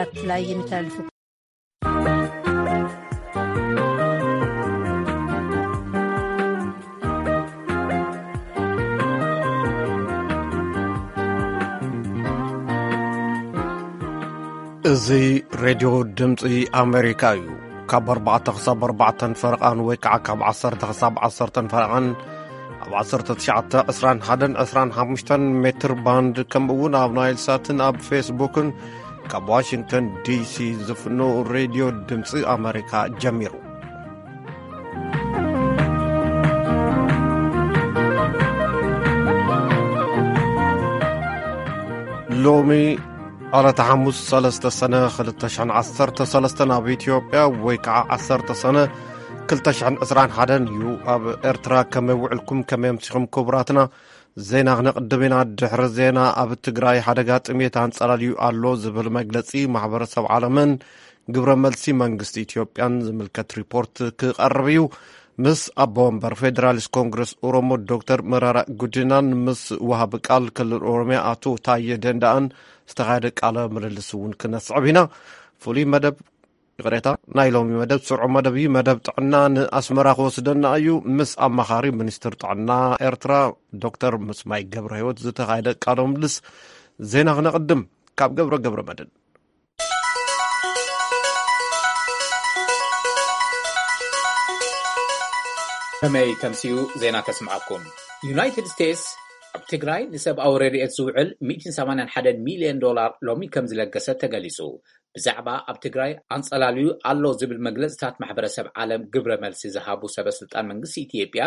ሳተላይት ይመሓላልፍ። እዚ ሬድዮ ድምፂ ኣሜሪካ እዩ። ካብ ኣርባዕተ ክሳብ ኣርባዕተን ፈረቓን ወይ ከዓ ካብ ዓሰርተ ክሳብ ዓሰርተን ፈረቓን ኣብ ዓሰርተ ትሽዓተ፣ ዕስራን ሓደን፣ ዕስራን ሓሙሽተን ሜትር ባንድ፣ ከምኡ እውን ኣብ ናይል ሳትን ኣብ ፌስቡክን ካብ ዋሽንግተን ዲሲ ዝፍኖ ሬድዮ ድምፂ ኣሜሪካ ጀሚሩ። ሎሚ ዕለተ ሓሙስ ሰለስተ ሰነ ክልተ ሽሕን ዓሰርተ ሰለስተን ኣብ ኢትዮጵያ፣ ወይ ከዓ ዓሰርተ ሰነ ክልተ ሽሕን ዕስራን ሓደን እዩ። ኣብ ኤርትራ ከመይ ውዕልኩም፣ ከመይ ኣምሲኹም ክቡራትና? ዜና ክነቕድም ኢና። ድሕሪ ዜና፣ ኣብ ትግራይ ሓደጋ ጥሜት ኣንጸላልዩ ኣሎ ዝብል መግለጺ ማሕበረሰብ ዓለምን ግብረ መልሲ መንግስቲ ኢትዮጵያን ዝምልከት ሪፖርት ክቐርብ እዩ። ምስ ኣቦ ወንበር ፌዴራሊስት ኮንግረስ ኦሮሞ ዶክተር መራራ ጉዲናን ምስ ወሃቢ ቃል ክልል ኦሮሚያ ኣቶ ታየ ደንዳኣን ዝተኻየደ ቃለ ምልልስ እውን ክነስዕብ ኢና። ፍሉይ መደብ፣ ይቕሬታ፣ ናይ ሎሚ መደብ ስርዑ መደብ እዩ። መደብ ጥዕና ንኣስመራ ክወስደና እዩ። ምስ ኣማኻሪ ሚኒስትር ጥዕና ኤርትራ ዶክተር ምስማይ ገብረ ህይወት ዝተኻየደ ቃለ ምልልስ። ዜና ክነቕድም ካብ ገብረ ገብረ መድን። ከመይ ተምስዩ ዜና ከስምዓኩም። ዩናይትድ ስቴትስ ኣብ ትግራይ ንሰብኣዊ ረድኤት ዝውዕል ሚእትን ሰማንያን ሓደን ሚልዮን ዶላር ሎሚ ከም ዝለገሰት ተገሊጹ። ብዛዕባ ኣብ ትግራይ ኣንጸላልዩ ኣሎ ዝብል መግለጽታት ማሕበረሰብ ዓለም ግብረ መልሲ ዝሃቡ ሰበ ስልጣን መንግስቲ ኢትዮጵያ፣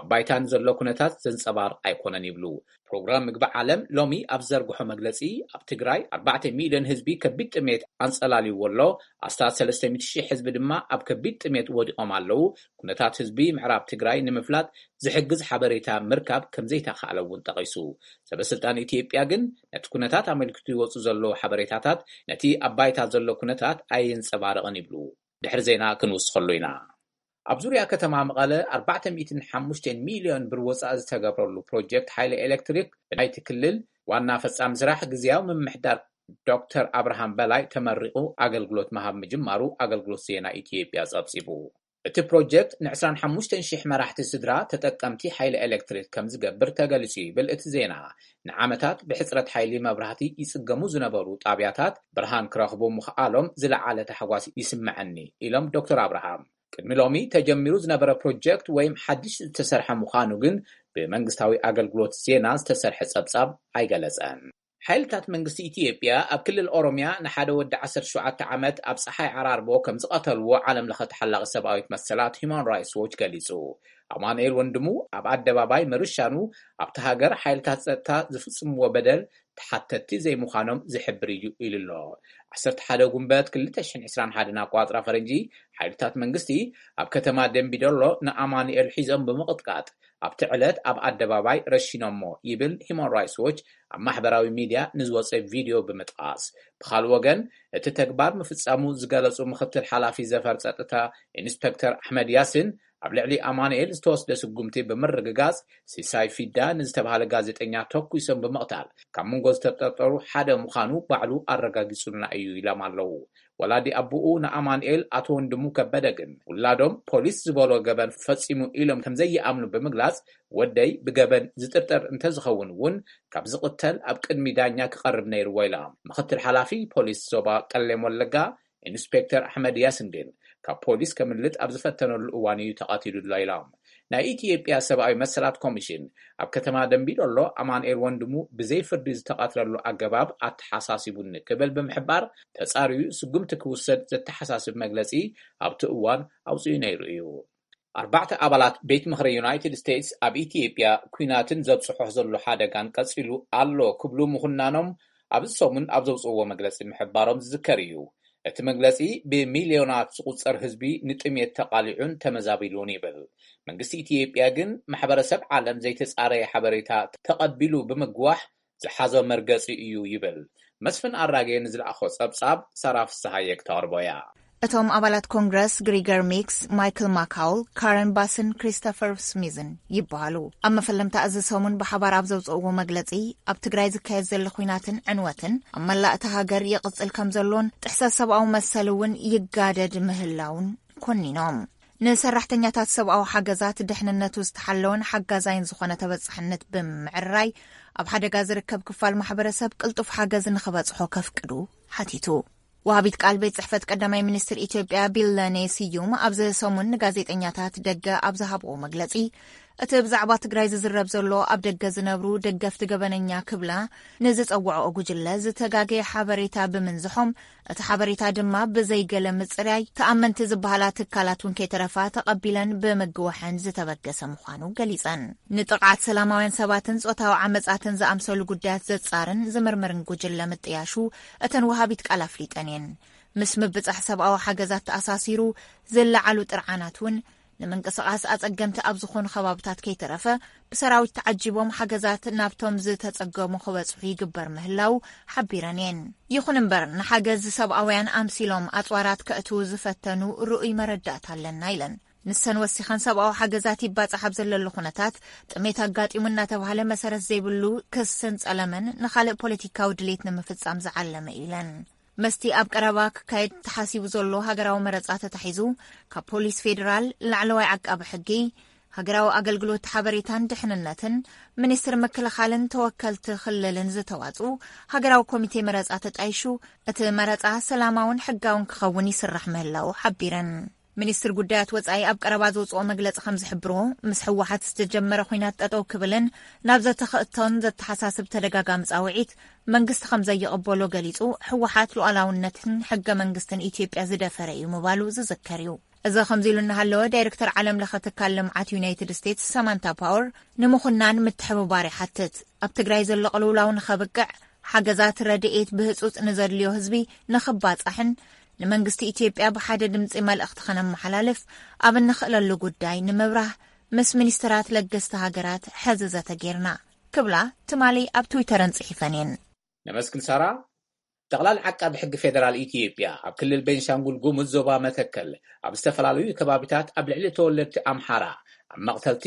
ኣብ ባይታ ንዘሎ ኩነታት ዘንጸባርቕ ኣይኮነን ይብሉ። ፕሮግራም ምግቢ ዓለም ሎሚ ኣብ ዘርግሖ መግለጺ፣ ኣብ ትግራይ ኣርባዕተ ሚልዮን ህዝቢ ከቢድ ጥሜት ኣንጸላልይዎ ኣሎ፣ ኣስታት ሰለስተ ሚእቲ ሺሕ ህዝቢ ድማ ኣብ ከቢድ ጥሜት ወዲቖም ኣለዉ። ኩነታት ህዝቢ ምዕራብ ትግራይ ንምፍላጥ ዝሕግዝ ሓበሬታ ምርካብ ከም ዘይተኻእለ እውን ጠቒሱ። ሰበ ስልጣን ኢትዮጵያ ግን ነቲ ኩነታት ኣመልኪቱ ይወጹ ዘለዉ ሓበሬታታት ነቲ ኣብ ባይታ ዘሎ ኩነታት ኣየንጸባርቕን ይብሉ። ድሕሪ ዜና ክንውስኸሉ ኢና። ኣብ ዙርያ ከተማ መቐለ ኣርባዕተ ሚእትን ሓሙሽተን ሚልዮን ብር ወጻኢ ዝተገብረሉ ፕሮጀክት ሓይሊ ኤሌክትሪክ ብናይቲ ክልል ዋና ፈጻሚ ስራሕ ግዝያዊ ምምሕዳር ዶክተር ኣብርሃም በላይ ተመሪቑ ኣገልግሎት ምሃብ ምጅማሩ ኣገልግሎት ዜና ኢትዮጵያ ጸብጺቡ። እቲ ፕሮጀክት ንዕስራን ሓሙሽተን ሺሕ መራሕቲ ስድራ ተጠቀምቲ ሓይሊ ኤሌክትሪክ ከም ዝገብር ተገሊጹ ይብል እቲ ዜና። ንዓመታት ብሕጽረት ሓይሊ መብራህቲ ይጽገሙ ዝነበሩ ጣብያታት ብርሃን ክረኽቡ ምኽኣሎም ዝለዓለ ታሕጓስ ይስምዐኒ ኢሎም ዶክተር ኣብርሃም። ቅድሚ ሎሚ ተጀሚሩ ዝነበረ ፕሮጀክት ወይም ሓድሽ ዝተሰርሐ ምዃኑ ግን ብመንግስታዊ ኣገልግሎት ዜና ዝተሰርሐ ጸብጻብ ኣይገለጸን። ሓይልታት መንግስቲ ኢትዮጵያ ኣብ ክልል ኦሮሚያ ንሓደ ወዲ ዓሰርተ ሸውዓተ ዓመት ኣብ ጸሓይ ዓራርቦ ከም ዝቐተልዎ ዓለም ለኸ ተሓላቒ ሰብኣዊት መሰላት ሂማን ራይትስ ዎች ገሊጹ። ኣማኑኤል ወንድሙ ኣብ ኣደባባይ ምርሻኑ ኣብቲ ሃገር ሓይልታት ጸጥታ ዝፍጽምዎ በደል ተሓተትቲ ዘይምዃኖም ዝሕብር እዩ ኢሉ ኣሎ። ዓሰርተ ሓደ ጉንበት ክልተ ሽሕን ዕስራን ሓደን ኣቋጽራ ፈረንጂ፣ ሓይልታት መንግስቲ ኣብ ከተማ ደምቢዶሎ ንኣማኑኤል ሒዞም ብምቕጥቃጥ ኣብቲ ዕለት ኣብ ኣደባባይ ረሺኖሞ ይብል ሂማን ራይትስ ዎች ኣብ ማሕበራዊ ሚድያ ንዝወፀ ቪድዮ ብምጥቓስ። ብኻልእ ወገን፣ እቲ ተግባር ምፍጻሙ ዝገለጹ ምኽትል ሓላፊ ዘፈር ጸጥታ ኢንስፔክተር ኣሕመድ ያሲን፣ ኣብ ልዕሊ ኣማኑኤል ዝተወስደ ስጉምቲ ብምርግጋጽ፣ ሲሳይ ፊዳ ንዝተባሃለ ጋዜጠኛ ተኩሶም ብምቕታል፣ ካብ መንጎ ዝተጠርጠሩ ሓደ ምዃኑ ባዕሉ ኣረጋጊጹልና እዩ ኢሎም ኣለዉ። ወላዲ ኣቦኡ ንኣማኑኤል ኣቶ ወንድሙ ከበደ ግን፣ ውላዶም ፖሊስ ዝበሎ ገበን ፈጺሙ ኢሎም ከም ዘይኣምኑ ብምግላጽ፣ ወደይ ብገበን ዝጥርጠር እንተዝኸውን እውን፣ ካብ ዝቕተል ኣብ ቅድሚ ዳኛ ክቐርብ ነይርዎ ኢሎም። ምኽትል ሓላፊ ፖሊስ ዞባ ቀሌም ወለጋ ኢንስፔክተር ኣሕመድ ያሲን ግን፣ ካብ ፖሊስ ከምልጥ ኣብ ዝፈተነሉ እዋን እዩ ተቐቲሉ ኣሎ ኢሎም። ናይ ኢትዮጵያ ሰብኣዊ መሰላት ኮሚሽን፣ ኣብ ከተማ ደምቢዶሎ ኣማኑኤል ወንድሙ ብዘይ ፍርዲ ዝተቐትለሉ ኣገባብ ኣተሓሳሲቡኒ ክብል ብምሕባር፣ ተጻርዩ ስጉምቲ ክውሰድ ዘተሓሳስብ መግለጺ ኣብቲ እዋን ኣውጺኡ ነይሩ እዩ። ኣርባዕተ ኣባላት ቤት ምኽሪ ዩናይትድ ስቴትስ ኣብ ኢትዮጵያ ኲናትን ዘብጽሖ ዘሎ ሓደጋን ቀጺሉ ኣሎ ክብሉ ምኹናኖም ኣብዚ ሰሙን ኣብ ዘውጽእዎ መግለጺ ምሕባሮም ዝዝከር እዩ። እቲ መግለጺ፣ ብሚልዮናት ዝቑጸር ህዝቢ ንጥሜት ተቓሊዑን ተመዛቢሉን ይብል። መንግስቲ ኢትዮጵያ ግን፣ ማሕበረሰብ ዓለም ዘይተጻረየ ሓበሬታ ተቐቢሉ ብምግዋሕ ዝሓዞ መርገጺ እዩ ይብል። መስፍን ኣራጌ ንዝለኣኾ ጸብጻብ ሳራ ፍስሃየ ክተቕርቦ እያ። እቶም ኣባላት ኮንግረስ ግሪገር ሚክስ፣ ማይክል ማካውል፣ ካረን ባስን ክሪስቶፈር ስሚዝን ይበሃሉ። ኣብ መፈለምታ እዚ ሰሙን ብሓባር ኣብ ዘውፅእዎ መግለፂ፣ ኣብ ትግራይ ዝካየድ ዘሎ ኹናትን ዕንወትን ኣብ መላእ እታ ሃገር ይቕፅል ከም ዘሎን ጥሕሰት ሰብኣዊ መሰል እውን ይጋደድ ምህላውን ኮኒኖም። ንሰራሕተኛታት ሰብኣዊ ሓገዛት ድሕንነቱ ዝተሓለወን ሓጋዛይን ዝኾነ ተበፃሕነት ብምዕራይ፣ ኣብ ሓደጋ ዝርከብ ክፋል ማሕበረሰብ ቅልጡፍ ሓገዝ ንኽበፅሖ ከፍቅዱ ሓቲቱ። ወሃቢት ቃል ቤት ጽሕፈት ቀዳማይ ሚኒስትር ኢትዮጵያ ቢለኔ ስዩም ኣብዚ ሰሙን ንጋዜጠኛታት ደገ ኣብ ዝሃብዎ መግለጺ፣ እቲ ብዛዕባ ትግራይ ዝዝረብ ዘሎ ኣብ ደገ ዝነብሩ ደገፍቲ ገበነኛ ክብላ ንዝጸውዐኦ ጉጅለ ዝተጋገየ ሓበሬታ ብምንዝሖም፣ እቲ ሓበሬታ ድማ ብዘይገለ ምጽራይ ተኣመንቲ ዝበሃላ ትካላት እውን ከይተረፋ ተቐቢለን ብምግዋሐን ዝተበገሰ ምዃኑ ገሊጸን። ንጥቕዓት ሰላማውያን ሰባትን ጾታዊ ዓመጻትን ዝኣምሰሉ ጉዳያት ዘጻርን ዝምርምርን ጉጅለ ምጥያሹ እተን ወሃቢት ቃል ኣፍሊጠን እየን። ምስ ምብጻሕ ሰብኣዊ ሓገዛት ተኣሳሲሩ ዝለዓሉ ጥርዓናት እውን ንምንቅስቓስ ኣጸገምቲ ኣብ ዝኾኑ ከባብታት ከይተረፈ ብሰራዊት ተዓጂቦም ሓገዛት ናብቶም ዝተጸገሙ ክበጽሑ ይግበር ምህላው ሓቢረን እየን። ይኹን እምበር ንሓገዝ ሰብኣውያን ኣምሲሎም ኣጽዋራት ከእትዉ ዝፈተኑ ርኡይ መረዳእታ ኣለና ኢለን። ንሰን ወሲኸን ሰብኣዊ ሓገዛት ይባጻሕ ኣብ ዘለሉ ኩነታት ጥሜት ኣጋጢሙ እናተባህለ መሰረት ዘይብሉ ክስን ጸለመን ንኻልእ ፖለቲካዊ ድሌት ንምፍጻም ዝዓለመ እዩ ኢለን። መስቲ ኣብ ቀረባ ክካየድ ተሓሲቡ ዘሎ ሃገራዊ መረጻ ተታሒዙ ካብ ፖሊስ ፌዴራል፣ ላዕለዋይ ዓቃቢ ሕጊ፣ ሃገራዊ ኣገልግሎት ሓበሬታን ድሕንነትን፣ ሚኒስትር ምክልኻልን ተወከልቲ ክልልን ዝተዋጽኡ ሃገራዊ ኮሚቴ መረጻ ተጣይሹ እቲ መረጻ ሰላማውን ሕጋውን ክኸውን ይስራሕ ምህላው ሓቢረን። ሚኒስትር ጉዳያት ወጻኢ ኣብ ቀረባ ዘውጽኦ መግለጺ ከም ዝሕብሮ፣ ምስ ህወሓት ዝተጀመረ ኹናት ጠጠው ክብልን ናብ ዘተኽእቶን ዘተሓሳስብ ተደጋጋሚ ጻውዒት መንግስቲ ከም ዘይቕበሎ ገሊጹ፣ ህወሓት ሉዓላውነትን ሕገ መንግስትን ኢትዮጵያ ዝደፈረ እዩ ምባሉ ዝዝከር እዩ። እዚ ከምዚ ኢሉ እናሃለወ፣ ዳይሬክተር ዓለም ለኸ ትካል ልምዓት ዩናይትድ ስቴትስ ሳማንታ ፓወር ንምኹናን ምትሕብባር ይሓትት። ኣብ ትግራይ ዘሎ ቅልውላው ንኸብቅዕ፣ ሓገዛት ረድኤት ብህጹጽ ንዘድልዮ ህዝቢ ንኽባጻሕን ንመንግስቲ ኢትዮጵያ ብሓደ ድምጺ መልእኽቲ ኸነመሓላልፍ ኣብ እንኽእለሉ ጉዳይ ንምብራህ ምስ ሚኒስትራት ለገስቲ ሃገራት ሐዚ ዘተ ጌርና ክብላ ትማሊ ኣብ ትዊተረን ጽሒፈን እየን። ነመስግን ሳራ። ጠቕላል ዓቃቢ ሕጊ ፌደራል ኢትዮጵያ ኣብ ክልል ቤንሻንጉል ጉሙዝ ዞባ መተከል ኣብ ዝተፈላለዩ ከባቢታት ኣብ ልዕሊ ተወለድቲ ኣምሓራ ኣብ መቕተልቲ፣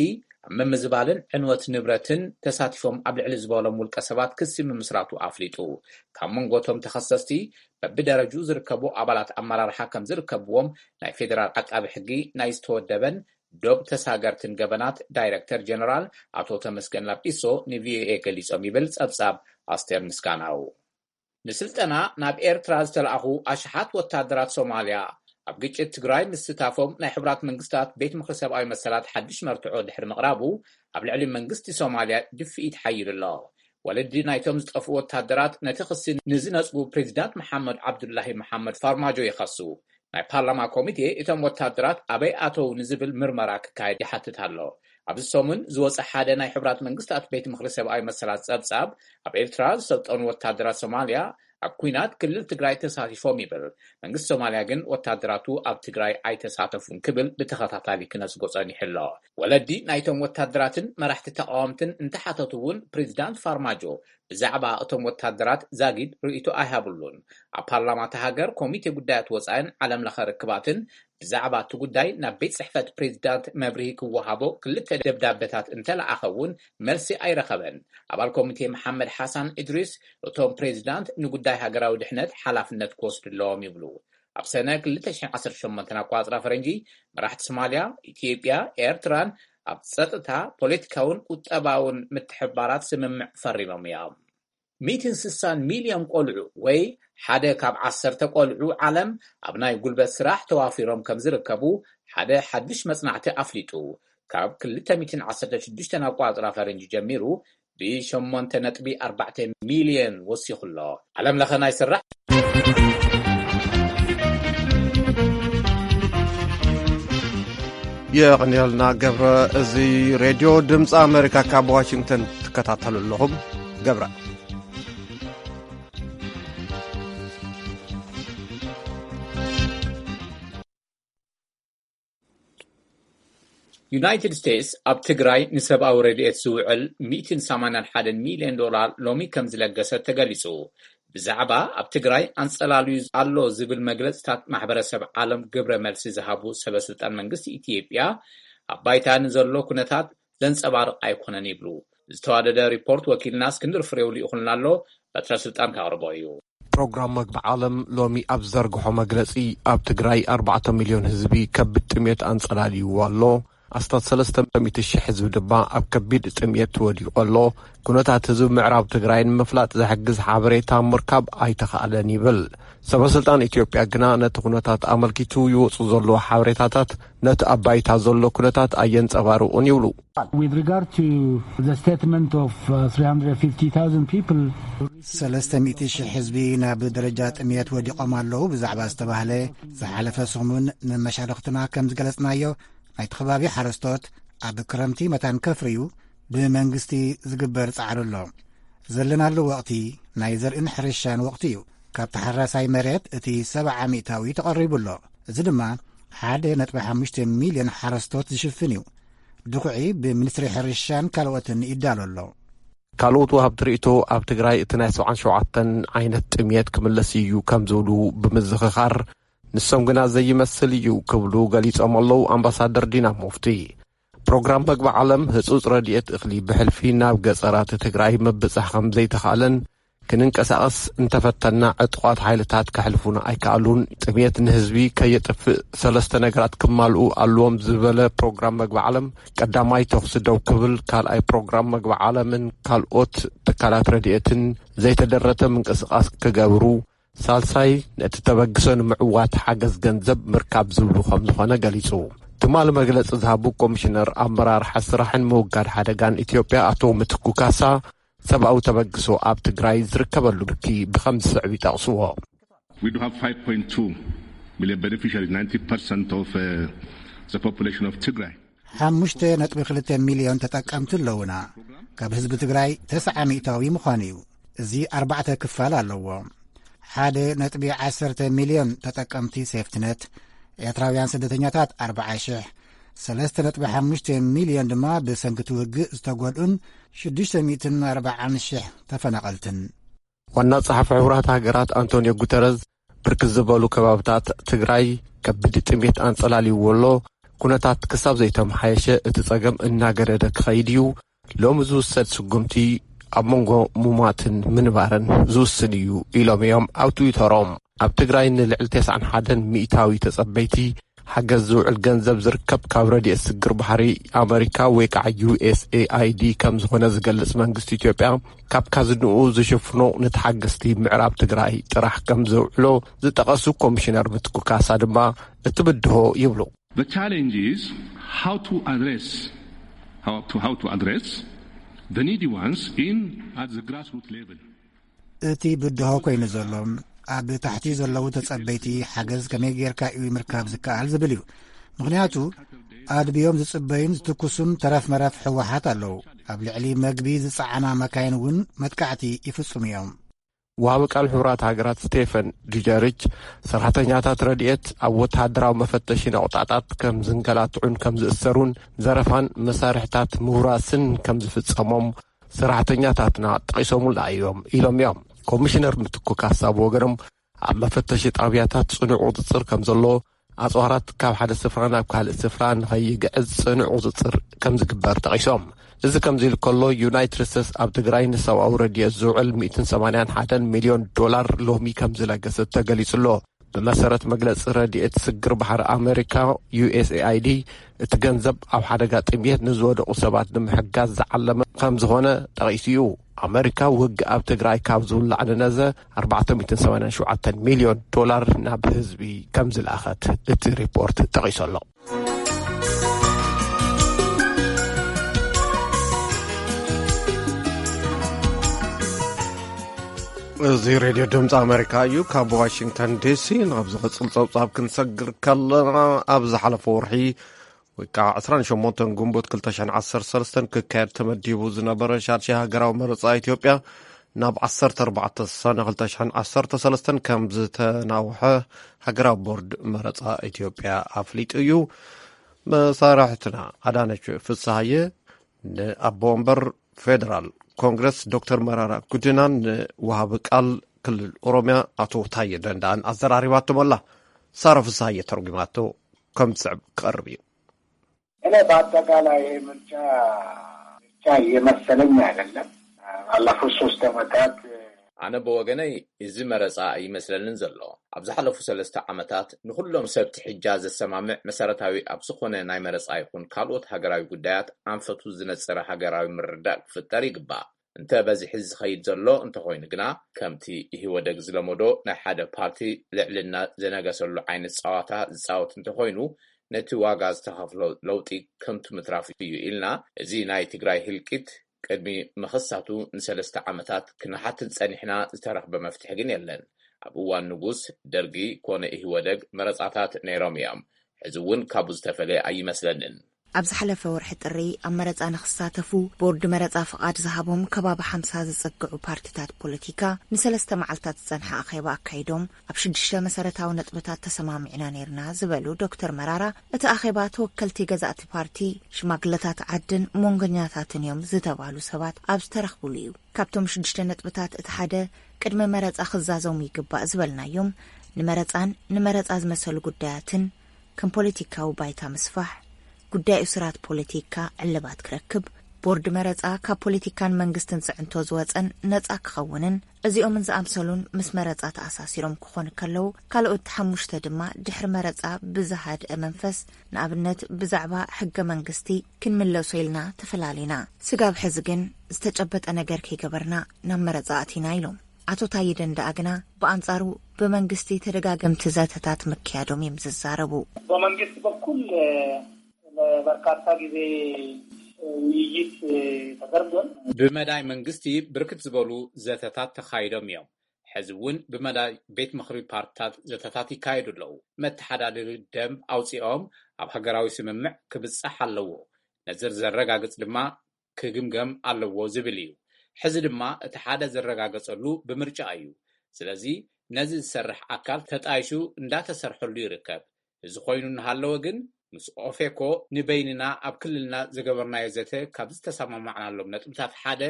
ኣብ ምምዝባልን ዕንወት ንብረትን ተሳቲፎም ኣብ ልዕሊ ዝበሎም ውልቀ ሰባት ክሲ ምምስራቱ ኣፍሊጡ። ካብ መንጎ እቶም ተኸሰስቲ በብደረጅኡ ዝርከቡ ኣባላት ኣመራርሓ ከም ዝርከብዎም ናይ ፌደራል ዓቃቢ ሕጊ ናይ ዝተወደበን ዶብ ተሳገርትን ገበናት ዳይረክተር ጀነራል ኣቶ ተመስገን ላጲሶ ንቪኦኤ ገሊጾም ይብል ጸብጻብ ኣስቴር ምስጋናው። ንስልጠና ናብ ኤርትራ ዝተላእኹ ኣሽሓት ወታደራት ሶማልያ ኣብ ግጭት ትግራይ ምስታፎም ናይ ሕቡራት መንግስታት ቤት ምኽሪ ሰብኣዊ መሰላት ሓድሽ መርትዖ ድሕሪ ምቕራቡ ኣብ ልዕሊ መንግስቲ ሶማልያ ድፍኢት ሓይሉ ኣሎ። ወለዲ ናይቶም ዝጠፍኡ ወታደራት ነቲ ክሲ ንዝነጽጉ ፕሬዚዳንት መሓመድ ዓብዱላሂ መሓመድ ፋርማጆ ይኸሱ። ናይ ፓርላማ ኮሚቴ እቶም ወታደራት ኣበይ ኣተው ንዝብል ምርመራ ክካየድ ይሓትት ኣሎ። ኣብዚ ሰሙን ዝወፀ ሓደ ናይ ሕቡራት መንግስታት ቤት ምኽሪ ሰብኣዊ መሰላት ጸብጻብ ኣብ ኤርትራ ዝሰልጠኑ ወታደራት ሶማልያ ኣብ ኲናት ክልል ትግራይ ተሳቲፎም ይብል። መንግስቲ ሶማልያ ግን ወታደራቱ ኣብ ትግራይ ኣይተሳተፉን ክብል ብተኸታታሊ ክነጽጎ ጸኒሑ ኣሎ። ወለዲ ናይቶም ወታደራትን መራሕቲ ተቃወምትን እንተሓተቱ እውን ፕሬዚዳንት ፋርማጆ ብዛዕባ እቶም ወታደራት ዛጊድ ርእይቶ ኣይሃብሉን። ኣብ ፓርላማ እታ ሃገር ኮሚቴ ጉዳያት ወጻኢን ዓለም ለኸ ርክባትን ብዛዕባ እቲ ጉዳይ ናብ ቤት ጽሕፈት ፕሬዚዳንት መብርሂ ክወሃቦ ክልተ ደብዳበታት እንተለኣኸ እውን መልሲ ኣይረኸበን። ኣባል ኮሚቴ መሓመድ ሓሳን እድሪስ እቶም ፕሬዚዳንት ንጉዳይ ሃገራዊ ድሕነት ሓላፍነት ክወስዱ ኣለዎም ይብሉ። ኣብ ሰነ ክልተ ሽሕን ዓሰርተ ሸሞንተን ኣቋጽራ ፈረንጂ መራሕቲ ሶማልያ፣ ኢትዮጵያ፣ ኤርትራን ኣብ ጸጥታ፣ ፖለቲካውን ቁጠባውን ምትሕብባራት ስምምዕ ፈሪሞም እዮም። ሚእትን ስሳን ሚልዮን ቆልዑ ወይ ሓደ ካብ ዓሰርተ ቆልዑ ዓለም ኣብ ናይ ጉልበት ስራሕ ተዋፊሮም ከም ዝርከቡ ሓደ ሓድሽ መጽናዕቲ ኣፍሊጡ። ካብ ክልተ ሚእትን ዓሰርተ ሽዱሽተን ኣቋጽራ ፈረንጂ ጀሚሩ ብሸሞንተ ነጥቢ ኣርባዕተ ሚልዮን ወሲኹ ኣሎ። ዓለም ለኸ ናይ ስራሕ የቕንየልና ገብረ። እዚ ሬድዮ ድምፂ ኣሜሪካ ካብ ዋሽንግተን ትከታተሉ ኣለኹም። ገብረ። ዩናይትድ ስቴትስ ኣብ ትግራይ ንሰብኣዊ ረድኤት ዝውዕል ሚእትን ሰማንያን ሓደን ሚልዮን ዶላር ሎሚ ከም ዝለገሰት ተገሊጹ። ብዛዕባ ኣብ ትግራይ ኣንጸላልዩ ኣሎ ዝብል መግለጽታት ማሕበረሰብ ዓለም ግብረ መልሲ ዝሃቡ ሰበስልጣን መንግስቲ ኢትዮጵያ፣ ኣብ ባይታ ንዘሎ ኩነታት ዘንጸባርቕ ኣይኮነን ይብሉ። ዝተዋደደ ሪፖርት ወኪልና እስክንድር ፍሬው ልኢኹልና ኣሎ፣ በትረ ስልጣን ከቕርቦ እዩ። ፕሮግራም መግቢ ዓለም ሎሚ ኣብ ዝዘርግሖ መግለጺ፣ ኣብ ትግራይ ኣርባዕተ ሚልዮን ህዝቢ ከቢድ ጥሜት ኣንጸላልይዎ ኣሎ። ኣስታት ሰለስተ ሚእቲ ሺሕ ህዝቢ ድማ ኣብ ከቢድ ጥሜት ወዲቑ ኣሎ። ኩነታት ህዝቢ ምዕራብ ትግራይ ንምፍላጥ ዝሕግዝ ሓበሬታ ምርካብ ኣይተኻእለን ይብል። ሰበስልጣን ኢትዮጵያ ግና ነቲ ኩነታት ኣመልኪቱ ይወጹ ዘለዉ ሓበሬታታት ነቲ ኣብ ባይታ ዘሎ ኩነታት ኣየንጸባርቑን ይብሉ። With regard to the statement of uh, three hundred fifty thousand people, ሰለስተ ሚእቲ ሺሕ ህዝቢ ናብ ደረጃ ጥሜት ወዲቖም ኣለዉ ብዛዕባ ዝተባህለ፣ ዝሓለፈ ሰሙን ንመሻርኽትና ከም ዝገለጽናዮ፣ ናይቲ ከባቢ ሓረስቶት ኣብ ክረምቲ መታን ከፍርዩ ብመንግስቲ ዝግበር ጻዕሪ ኣሎ። ዘለናሉ ወቕቲ ናይ ዘርእን ሕርሻን ወቕቲ እዩ። ካብ ተሓራሳይ መሬት እቲ ሰብዓ ሚእታዊ ተቐሪቡ ኣሎ። እዚ ድማ ሓደ ነጥቢ ሓሙሽተ ሚልዮን ሓረስቶት ዝሽፍን እዩ። ድኹዒ ብሚኒስትሪ ሕርሻን ካልኦትን ይዳሎ ኣሎ። ካልኦት ወሃብቲ ርእይቶ ኣብ ትግራይ እቲ ናይ ሰብዓን ሸውዓተን ዓይነት ጥሜት ክምለስ እዩ ከም ዝብሉ ብምዝኽኻር፣ ንሶም ግና ዘይመስል እዩ ክብሉ ገሊጾም ኣለዉ ኣምባሳደር ዲና ሙፍቲ። ፕሮግራም መግቢ ዓለም ህጹጽ ረድኤት እኽሊ ብሕልፊ ናብ ገጸራት ትግራይ ምብጻሕ ከም ዘይተኻእለን ክንንቀሳቐስ እንተፈተና ዕጡቓት ሓይልታት ከሕልፉና ኣይከኣሉን። ጥሜት ንህዝቢ ከየጥፍእ ሰለስተ ነገራት ክማልኡ ኣለዎም ዝበለ ፕሮግራም መግቢ ዓለም፣ ቀዳማይ ተኹሲ ደው ክብል፣ ካልኣይ ፕሮግራም መግቢ ዓለምን ካልኦት ትካላት ረድኤትን ዘይተደረተ ምንቅስቓስ ክገብሩ፣ ሳልሳይ ነቲ ተበግሶ ንምዕዋት ሓገዝ ገንዘብ ምርካብ ዝብሉ ከም ዝኾነ ገሊጹ። ትማሊ መግለጺ ዝሃቡ ኮሚሽነር ኣመራርሓ ስራሕን ምውጋድ ሓደጋን ኢትዮጵያ ኣቶ ምትኩ ካሳ፣ ሰብኣዊ ተበግሶ ኣብ ትግራይ ዝርከበሉ ብርኪ ብኸም ዝስዕብ ይጠቕስዎ። We do have five point two million beneficiaries, ninety percent of uh, the population of Tigray. ሓሙሽተ ነጥቢ ክልተ ሚልዮን ተጠቀምቲ ኣለዉና። ካብ ህዝቢ ትግራይ ተስዓ ሚእታዊ ምዃኑ እዩ። እዚ ኣርባዕተ ክፋል ኣለዎ። ሓደ ነጥቢ ዓሰርተ ሚልዮን ተጠቀምቲ ሴፍትነት፣ ኤርትራውያን ስደተኛታት ኣርብዓ ሽሕ፣ ሰለስተ ነጥቢ ሓሙሽተ ሚልዮን ድማ ብሰንኪ እቲ ውግእ ዝተጎድኡን ሽዱሽተ ሚእትን ኣርብዓን ሽሕ ተፈናቐልትን። ዋና ጸሓፊ ሕቡራት ሃገራት ኣንቶንዮ ጉተረዝ፣ ብርክት ዝበሉ ከባብታት ትግራይ ከቢድ ጥሜት ኣንጸላልይዎ ኣሎ። ኩነታት ክሳብ ዘይተመሓየሸ እቲ ጸገም እናገደደ ክኸይድ እዩ። ሎሚ ዝውሰድ ስጉምቲ ኣብ መንጎ ሙማትን ምንባርን ዝውስን እዩ ኢሎም እዮም ኣብ ትዊተሮም። ኣብ ትግራይ ንልዕሊ ተስዓን ሓደን ሚእታዊ ተጸበይቲ ሓገዝ ዝውዕል ገንዘብ ዝርከብ ካብ ረድኤት ስግር ባሕሪ ኣመሪካ ወይ ከዓ ዩ ኤስ ኤ ኣይ ዲ ከም ዝኾነ ዝገልጽ መንግስቲ ኢትዮጵያ፣ ካብ ካዝንኡ ዝሽፍኖ ንተሓገዝቲ ምዕራብ ትግራይ ጥራሕ ከም ዘውዕሎ ዝጠቐሱ ኮሚሽነር ምትኩ ካሳ ድማ እቲ ብድሆ ይብሉ። The challenge is how to address, how to, how to address the needy ones in at the grassroots level. እቲ ብድሆ ኮይኑ ዘሎ ኣብ ታሕቲ ዘለዉ ተጸበይቲ ሓገዝ ከመይ ጌርካ እዩ ምርካብ ዝከኣል ዝብል እዩ። ምኽንያቱ ኣድብዮም ዝጽበዩን ዝትኩሱን ተረፍ መረፍ ህወሓት ኣለዉ። ኣብ ልዕሊ መግቢ ዝጸዓና መካይን እውን መጥቃዕቲ ይፍጽሙ እዮም። ወሃቢ ቃል ሕቡራት ሃገራት ስቴፈን ዱጀሪች፣ ሰራሕተኛታት ረድኤት ኣብ ወተሃደራዊ መፈተሺ ነቑጣታት ከም ዝንከላትዑን ከም ዝእሰሩን፣ ዘረፋን መሳርሕታት ምውራስን ከም ዝፍጸሞም ሰራሕተኛታትና ጠቒሶምልና እዮም ኢሎም እዮም። ኮሚሽነር ምትኩ ካሳ ብወገኖም፣ ኣብ መፈተሺ ጣብያታት ጽኑዕ ቁጽጽር ከም ዘሎ፣ ኣጽዋራት ካብ ሓደ ስፍራ ናብ ካልእ ስፍራ ንኸይግዕዝ ጽኑዕ ቁጽጽር ከም ዝግበር ጠቒሶም። እዚ ከምዚ ኢሉ ከሎ፣ ዩናይትድ ስቴትስ ኣብ ትግራይ ንሰብኣዊ ረድኤት ዝውዕል ሚእትን ሰማንያን ሓደን ሚልዮን ዶላር ሎሚ ከም ዝለገሰት ተገሊጹ ኣሎ። ብመሰረት መግለጺ ረድኤት ስግር ባሕሪ ኣመሪካ፣ ዩ ኤስ ኤ ኣይ ዲ፣ እቲ ገንዘብ ኣብ ሓደጋ ጥሜት ንዝወደቑ ሰባት ንምሕጋዝ ዝዓለመ ከም ዝኾነ ጠቒሱ እዩ። ኣመሪካ ውግእ ኣብ ትግራይ ካብ ዝውላዕ ንነዘ ኣርባዕተ ሚእትን ሰማንያን ሸውዓተን ሚልዮን ዶላር ናብ ህዝቢ ከም ዝለኣኸት እቲ ሪፖርት ጠቒሱ ኣሎ። እዚ ሬድዮ ድምፂ ኣመሪካ እዩ። ካብ ዋሽንግተን ዲሲ ናብ ዝቕፅል ፀብፃብ ክንሰግር ከለና፣ ኣብ ዝሓለፈ ወርሒ ወይ ከዓ ዕስራን ሸሞንተን ግንቦት ክልተ ሽሕን ዓሰርተ ሰለስተን ክካየድ ተመዲቡ ዝነበረ ሻድሻይ ሃገራዊ መረፃ ኢትዮጵያ ናብ ዓሰርተ ኣርባዕተ ሰነ ክልተ ሽሕን ዓሰርተ ሰለስተን ከም ዝተናውሐ ሃገራዊ ቦርድ መረፃ ኢትዮጵያ ኣፍሊጡ እዩ። መሳርሕትና ኣዳነች ፍስሃየ ንኣቦ ወንበር ፌደራል ኮንግረስ ዶክተር መራራ ጉዲናን ንወሃቢ ቃል ክልል ኦሮሚያ ኣቶ ታየ ደንዳን ኣዘራሪባቶም ኣላ። ሳራ ፍስሃየ ተርጉማቶ ከም ዝስዕብ ክቐርብ እዩ። እኔ በአጠቃላይ ይሄ ምርጫ ምርጫ እየመሰለኝ አይደለም። ባለፉት ሶስት ዓመታት ኣነ ብወገነይ እዚ መረፃ ኣይመስለንን ዘሎ። ኣብ ዝሓለፉ ሰለስተ ዓመታት ንኹሎም ሰብ ትሕጃ ዘሰማምዕ መሰረታዊ ኣብ ዝኾነ ናይ መረፃ ይኹን ካልኦት ሃገራዊ ጉዳያት ኣንፈቱ ዝነፅረ ሃገራዊ ምርድዳእ ክፍጠር ይግባእ። እንተ በዚሒ ዝኸይድ ዘሎ እንተኾይኑ ግና ከምቲ ኢህወደግ ዝለመዶ ናይ ሓደ ፓርቲ ልዕልና ዘነገሰሉ ዓይነት ፃዋታ ዝፃወት እንተኾይኑ ነቲ ዋጋ ዝተኸፍሎ ለውጢ ከንቱ ምትራፍ እዩ ኢልና እዚ ናይ ትግራይ ህልቂት ቅድሚ ምኽሳቱ ንሰለስተ ዓመታት ክንሓትት ጸኒሕና፣ ዝተረኽበ መፍትሒ ግን የለን። ኣብ እዋን ንጉስ ደርጊ ኮነ ኢህወደግ መረጻታት ነይሮም እዮም። ሕዚ እውን ካብኡ ዝተፈለየ ኣይመስለንን። ኣብ ዝሓለፈ ወርሒ ጥሪ ኣብ መረጻ ንኽሳተፉ ቦርድ መረጻ ፍቓድ ዝሃቦም ከባቢ ሓምሳ ዝጸግዑ ፓርቲታት ፖለቲካ ንሰለስተ መዓልታት ዝጸንሐ ኣኼባ ኣካይዶም ኣብ ሽዱሽተ መሰረታዊ ነጥብታት ተሰማሚዕና ነይርና ዝበሉ ዶክተር መራራ፣ እቲ ኣኼባ ተወከልቲ ገዛእቲ ፓርቲ፣ ሽማግለታት ዓድን መንጎኛታትን እዮም ዝተባሉ ሰባት ኣብ ዝተረኽብሉ እዩ። ካብቶም ሽዱሽተ ነጥብታት እቲ ሓደ ቅድሚ መረጻ ክዛዘሙ ይግባእ ዝበልናዮም ንመረጻን ንመረጻ ዝመሰሉ ጉዳያትን ከም ፖለቲካዊ ባይታ ምስፋሕ፣ ጉዳይ እሱራት ፖለቲካ ዕልባት ክረክብ፣ ቦርድ መረጻ ካብ ፖለቲካን መንግስትን ጽዕንቶ ዝወጸን ነጻ ክኸውንን እዚኦምን ዝኣምሰሉን ምስ መረጻ ተኣሳሲሮም ክኾኑ ከለዉ፣ ካልኦት ሓሙሽተ ድማ ድሕሪ መረጻ ብዝሃድአ መንፈስ፣ ንኣብነት ብዛዕባ ሕገ መንግስቲ ክንምለሶ ኢልና ተፈላሊና። ስጋብ ሕዚ ግን ዝተጨበጠ ነገር ከይገበርና ናብ መረጻ ኣቲና ኢሎም። ኣቶ ታየ ደንደኣ ግና ብኣንጻሩ ብመንግስቲ ተደጋገምቲ ዘተታት ምክያዶም እዮም ዝዛረቡ። በመንግስት በኩል ለበርካታ ጊዜ ውይይት ተደርጓል። ብመዳይ መንግስቲ ብርክት ዝበሉ ዘተታት ተኻይዶም እዮም። ሕዚ እውን ብመዳይ ቤት ምኽሪ ፓርትታት ዘተታት ይካየዱ ኣለዉ። መተሓዳደሪ ደንብ ኣውፂኦም ኣብ ሃገራዊ ስምምዕ ክብፃሕ ኣለዎ። ነዚ ዘረጋግፅ ድማ ክግምገም ኣለዎ ዝብል እዩ። ሕዚ ድማ እቲ ሓደ ዝረጋገፀሉ ብምርጫ እዩ። ስለዚ ነዚ ዝሰርሕ ኣካል ተጣይሹ እንዳተሰርሐሉ ይርከብ። እዚ ኮይኑ እናሃለወ ግን ምስ ኦፌኮ ንበይንና ኣብ ክልልና ዝገበርናዮ ዘተ ካብ ዝተሰማማዕናሎም ነጥብታት ሓደ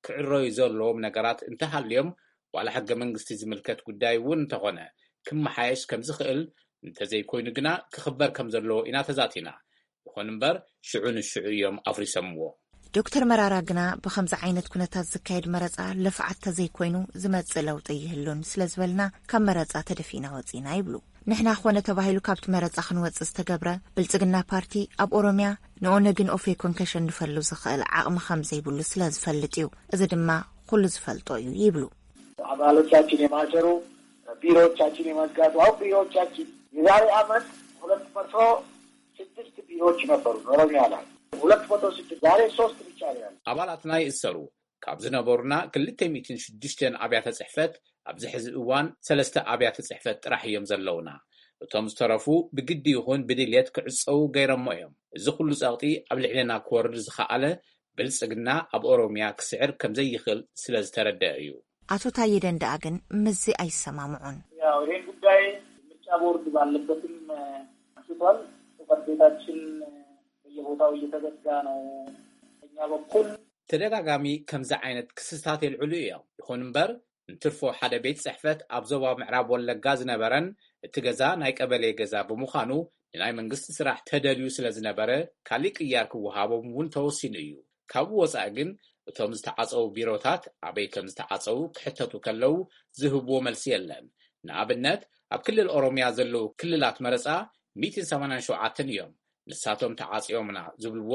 ክዕረዩ ዘለዎም ነገራት እንተሃልዮም ዋላ ሕገ መንግስቲ ዝምልከት ጉዳይ እውን እንተኾነ ክመሓየሽ ከም ዝኽእል እንተዘይኮይኑ ግና ክኽበር ከም ዘለዎ ኢና ተዛቲና። ይኹን እምበር ሽዑ ንሽዑ እዮም ኣፍሪሶምዎ። ዶክተር መራራ ግና ብኸምዚ ዓይነት ኩነታት ዝካየድ መረፃ ልፍዓት ተዘይኮይኑ ዝመፅእ ለውጢ ይህሉን ስለዝበልና ካብ መረፃ ተደፊእና ወፂና ይብሉ። ንሕና ኮነ ተባሂሉ ካብቲ መረፃ ክንወፅእ ዝተገብረ ብልፅግና ፓርቲ ኣብ ኦሮሚያ ንኦነግን ኦፌኮን ከሸንፈሉ ዝኽእል ዓቕሚ ከም ዘይብሉ ስለ ዝፈልጥ እዩ። እዚ ድማ ኩሉ ዝፈልጦ እዩ ይብሉ። አባሎቻችን የማሰሩ፣ ቢሮዎቻችን የመዝጋቱ። አሁን ቢሮዎቻችን የዛሬ ዓመት ሁለት መቶ ስድስት ቢሮዎች ነበሩ ኦሮሚያ ላይ። ሁለት መቶ ስድስት፣ ዛሬ ሶስት ብቻ ነው ያለው። ኣባላትና ይእሰሩ። ካብ ዝነበሩና ክልተ ሚእትን ሽዱሽተን ኣብያተ ጽሕፈት ኣብዚ ሕዚ እዋን ሰለስተ ኣብያተ ጽሕፈት ጥራሕ እዮም ዘለውና። እቶም ዝተረፉ ብግዲ ይኹን ብድልየት ክዕጸዉ ገይሮሞ እዮም። እዚ ኩሉ ጸቕጢ ኣብ ልዕሌና ክወርድ ዝኸኣለ ብልጽግና ኣብ ኦሮሚያ ክስዕር ከም ዘይኽእል ስለ ዝተረደአ እዩ። ኣቶ ታየ ደንደኣ ግን ምስዚ ኣይሰማምዑን። ያው ይሄን ጉዳይ ምርጫ ቦርድ ባለበትም አንስቷል። ጽሕፈት ቤታችን በየቦታው እየተዘጋ ነው። በእኛ በኩል ተደጋጋሚ ከምዚ ዓይነት ክስታት የልዕሉ እዮም። ይኹን እምበር እንትርፎ ሓደ ቤት ጽሕፈት ኣብ ዞባ ምዕራብ ወለጋ ዝነበረን እቲ ገዛ ናይ ቀበሌ ገዛ ብምዃኑ ንናይ መንግስቲ ስራሕ ተደልዩ ስለ ዝነበረ ካሊእ ቅያር ክወሃቦም እውን ተወሲኑ እዩ። ካብኡ ወጻኢ ግን እቶም ዝተዓጸዉ ቢሮታት ኣበይ ከም ዝተዓጸዉ ክሕተቱ ከለዉ ዝህብዎ መልሲ የለን። ንኣብነት ኣብ ክልል ኦሮሚያ ዘለዉ ክልላት መረጻ ሚእትን ሰማንያን ሸውዓተን እዮም። ንሳቶም ተዓጺዮምና ዝብልዎ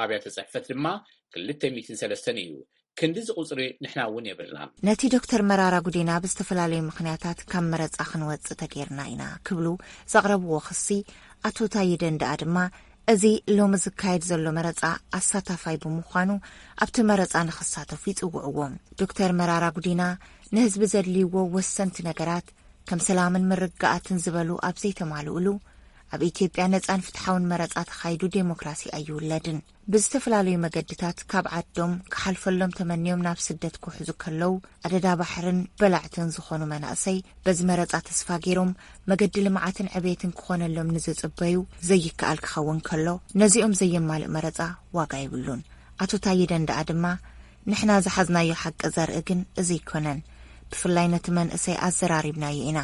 ኣብያተ ጽሕፈት ድማ ክልተ ሚእትን ሰለስተን እዩ። ክንዲ እዚ ቁጽሪ ንሕና እውን የብልናን። ነቲ ዶክተር መራራ ጉዲና ብዝተፈላለዩ ምኽንያታት ካብ መረጻ ክንወጽእ ተገይርና ኢና ክብሉ ዘቕረብዎ ክሲ ኣቶ ታየ ደንደኣ ድማ እዚ ሎሚ ዝካየድ ዘሎ መረጻ ኣሳታፋይ ብምዃኑ ኣብቲ መረጻ ንኽሳተፉ ይጽውዕዎም። ዶክተር መራራ ጉዲና ንህዝቢ ዘድልይዎ ወሰንቲ ነገራት ከም ሰላምን ምርግጋኣትን ዝበሉ ኣብ ዘይተማልኡሉ ኣብ ኢትዮጵያ ነጻን ፍትሓውን መረጻ ተኻይዱ ዴሞክራሲ ኣይውለድን። ብዝተፈላለዩ መገድታት ካብ ዓዶም ክሓልፈሎም ተመንዮም ናብ ስደት ክውሕዙ ከለዉ ኣደዳ ባሕርን በላዕትን ዝኾኑ መናእሰይ በዚ መረጻ ተስፋ ገይሮም መገዲ ልምዓትን ዕቤትን ክኾነሎም ንዝጽበዩ ዘይከኣል ክኸውን ከሎ ነዚኦም ዘየማልእ መረጻ ዋጋ የብሉን። ኣቶ ታየ ደንደኣ ድማ ንሕና ዝሓዝናዮ ሓቂ ዘርኢ ግን እዚ ኣይኮነን። ብፍላይ ነቲ መንእሰይ ኣዘራሪብናዮ ኢና።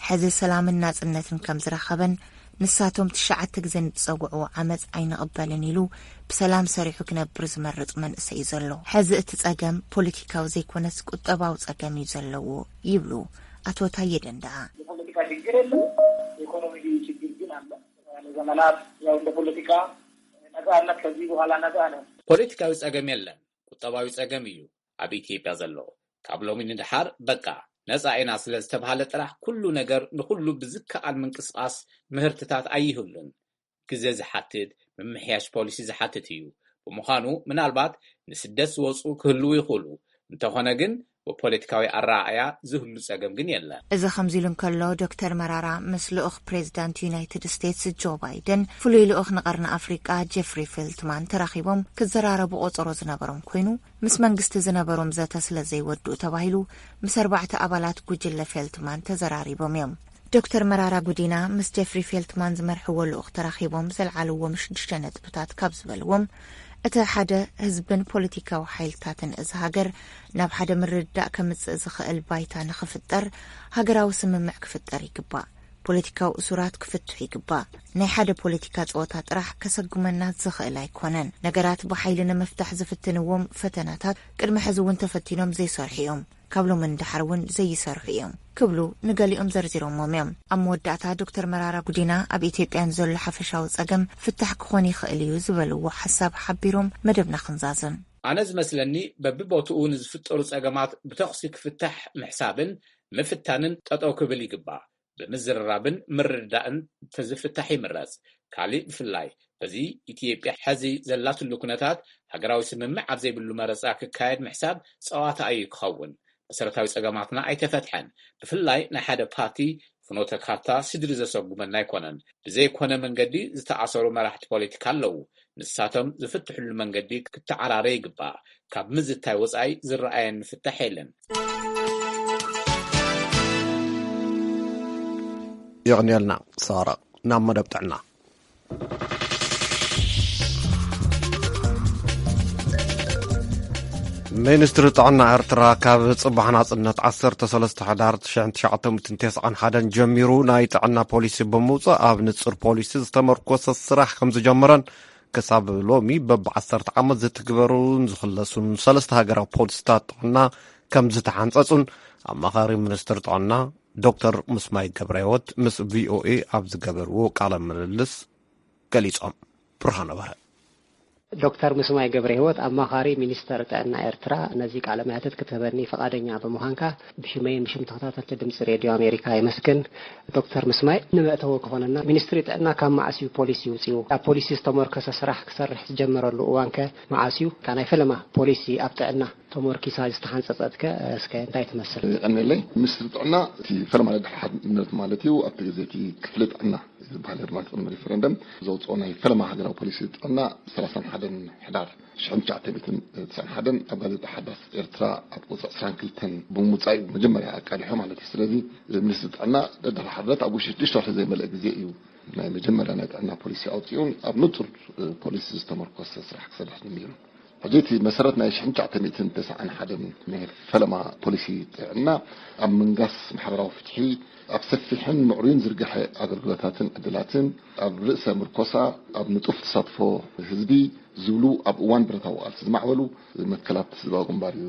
ሕዚ ሰላምን ናጽነትን ከም ዝረኸበን ንሳቶም ትሽዓተ ግዜ ንዝጸውዕዎ ዓመጽ ኣይንቕበልን ኢሉ ብሰላም ሰሪሑ ክነብር ዝመርጽ መንእሰይ እዩ ዘሎ። ሕዚ እቲ ጸገም ፖለቲካዊ ዘይኮነስ ቁጠባዊ ጸገም እዩ ዘለዎ ይብሉ ኣቶ ታየ ደንደኣ። የፖለቲካ ችግር የለም፣ የኢኮኖሚ ችግር ግን አለ። ለዘመናት ያው እንደ ፖለቲካ ነጻነት ከዚህ በኋላ ነጻ ነው። ፖለቲካዊ ጸገም የለን፣ ቁጠባዊ ጸገም እዩ ኣብ ኢትዮጵያ ዘሎ። ካብ ሎሚ ንድሓር በቃ ነጻ ኢና ስለ ዝተብሃለ ጥራሕ ኩሉ ነገር ንኹሉ ብዝከኣል ምንቅስቓስ ምህርትታት ኣይህሉን። ግዜ ዝሓትት፣ ምምሕያሽ ፖሊሲ ዝሓትት እዩ። ብምዃኑ ምናልባት ንስደት ዝወፁ ክህልዉ ይኽእሉ፣ እንተኾነ ግን ብፖለቲካዊ ኣረኣእያ ዝህሉ ጸገም ግን የለን። እዚ ከምዚ ኢሉ እንከሎ ዶክተር መራራ ምስ ልኡኽ ፕሬዚዳንት ዩናይትድ ስቴትስ ጆ ባይደን ፍሉይ ልኡኽ ንቐርኒ ኣፍሪቃ ጀፍሪ ፌልትማን ተራኺቦም ክዘራረቡ ቆጸሮ ዝነበሮም ኮይኑ ምስ መንግስቲ ዝነበሮም ዘተ ስለ ዘይወድኡ ተባሂሉ ምስ ኣርባዕተ ኣባላት ጉጅለ ፌልትማን ተዘራሪቦም እዮም። ዶክተር መራራ ጉዲና ምስ ጀፍሪ ፌልትማን ዝመርሕዎ ልኡኽ ተራኺቦም ዘልዓልዎም ሽዱሽተ ነጥብታት ካብ ዝበልዎም እቲ ሓደ ህዝብን ፖለቲካዊ ሓይልታትን እዚ ሃገር ናብ ሓደ ምርድዳእ ከምጽእ ዝኽእል ባይታ ንኽፍጠር ሃገራዊ ስምምዕ ክፍጠር ይግባእ። ፖለቲካዊ እሱራት ክፍትሑ ይግባእ። ናይ ሓደ ፖለቲካ ጸወታ ጥራሕ ከሰጉመና ዝኽእል ኣይኮነን። ነገራት ብሓይሊ ንምፍታሕ ዝፍትንዎም ፈተናታት ቅድሚ ሕዚ እውን ተፈቲኖም ዘይሰርሑ እዮም። ካብ ሎሚ ንድሓር እውን ዘይሰርሑ እዮም ክብሉ ንገሊኦም ዘርዚሮሞም እዮም። ኣብ መወዳእታ ዶክተር መራራ ጉዲና ኣብ ኢትዮጵያ ንዘሎ ሓፈሻዊ ጸገም ፍታሕ ክኾን ይኽእል እዩ ዝበልዎ ሓሳብ ሓቢሮም መደብና ክንዛዝም። ኣነ ዝመስለኒ በብቦትኡ ንዝፍጠሩ ጸገማት ብተኹሲ ክፍታሕ ምሕሳብን ምፍታንን ጠጠው ክብል ይግባእ። ብምዝርራብን ምርድዳእን ተዝፍታሕ ይምረጽ። ካሊእ ብፍላይ በዚ ኢትዮጵያ ሐዚ ዘላትሉ ኩነታት ሃገራዊ ስምምዕ ኣብ ዘይብሉ መረጻ ክካየድ ምሕሳብ ጸዋታ እዩ ክኸውን። መሰረታዊ ጸገማትና ኣይተፈትሐን። ብፍላይ ናይ ሓደ ፓርቲ ፍኖተ ካርታ ስድሪ ዘሰጉመና ኣይኮነን። ብዘይኮነ መንገዲ ዝተኣሰሩ መራሕቲ ፖለቲካ ኣለዉ። ንሳቶም ዝፍትሕሉ መንገዲ ክተዓራረ ይግባእ። ካብ ምዝታይ ወጻኢ ዝረኣየኒ ፍታሕ የለን። የቕንየልና ሳራ። ናብ መደብ ጥዕና። ሚኒስትሪ ጥዕና ኤርትራ ካብ ጽባሕ ናጽነት ዓሰርተ ሰለስተ ሕዳር ሽሕን ትሽዓተ ሚእትን ተስዓን ሓደን ጀሚሩ ናይ ጥዕና ፖሊሲ ብምውጻእ ኣብ ንጹር ፖሊሲ ዝተመርኮሰ ስራሕ ከም ዝጀመረን ክሳብ ሎሚ በብ ዓሰርተ ዓመት ዝትግበሩን ዝኽለሱን ሰለስተ ሃገራዊ ፖሊሲታት ጥዕና ከም ዝተሓንጸጹን ኣማኻሪ ሚኒስትር ጥዕና ዶክተር ምስማይ ገብረህይወት ምስ ቪኦኤ ኣብ ዝገበርዎ ቃለ ምልልስ ገሊጾም። ብርሃነ በርሀ። ዶክተር ምስማይ ገብረህይወት ኣማኻሪ ሚኒስተር ጥዕና ኤርትራ ነዚ ቃለ መሕትት ክትህበኒ ፍቓደኛ ብምዃንካ ብሽመይን ብሽም ተኸታተልቲ ድምጺ ሬድዮ ኣሜሪካ የመስግን። ዶክተር ምስማይ ንመእተዊ ክኾነና ሚኒስትሪ ጥዕና ካብ መዓስ እዩ ፖሊሲ ይውጽኡ? ኣብ ፖሊሲ ዝተመርኮሰ ስራሕ ክሰርሕ ዝጀመረሉ እዋንከ መዓስ እዩ? እታ ናይ ፈለማ ፖሊሲ ኣብ ጥዕና ተሞርኪሳ ዝተሓንጸጸትከ እስከ እንታይ ትመስል? የቐንየለይ። ሚኒስትሪ ጥዕና እቲ ፈለማ ናይ ድሕሓት ንብረት ማለት እዩ ኣብቲ ግዜ እቲ ክፍሊ ጥዕና ዝበሃል ድማ ቅድሚ ሪፈረንደም ዘውፅኦ ናይ ፈለማ ሃገራዊ ፖሊሲ ጥዕና ሰላሳን ሓደን ሕዳር ሽሕን ትሽዓተ ሚእትን ትስዓን ሓደን ኣብ ጋዜጣ ሓዳስ ኤርትራ ኣብ ቁፅሪ ዕስራን ክልተን ብምውፃእ እዩ መጀመርያ ኣቃሊሖ ማለት እዩ። ስለዚ ሚኒስትሪ ጥዕና ደድሕሪ ሓድረት ኣብ ውሽጢ ሽዱሽተ ወርሒ ዘይመልአ ግዜ እዩ ናይ መጀመርያ ናይ ጥዕና ፖሊሲ ኣውፂኡን ኣብ ንፁር ፖሊሲ ዝተመርኮሰ ስራሕ ክሰርሕ ጀሚሩ። ሕጂ እቲ መሰረት ናይ ሽሕን ትሽዓተ ሚእትን ተስዓን ሓደን ናይ ፈለማ ፖሊሲ ጥዕና ኣብ ምንጋስ ማሕበራዊ ፍትሒ ኣብ ሰፊሕን ምዕሩይን ዝርግሐ ኣገልግሎታትን ዕድላትን ኣብ ርእሰ ምርኮሳ ኣብ ንጡፍ ተሳትፎ ህዝቢ ዝብሉ ኣብ እዋን ብረታዊ ቃልሲ ዝማዕበሉ መትከላት ህዝባዊ ግንባር እዩ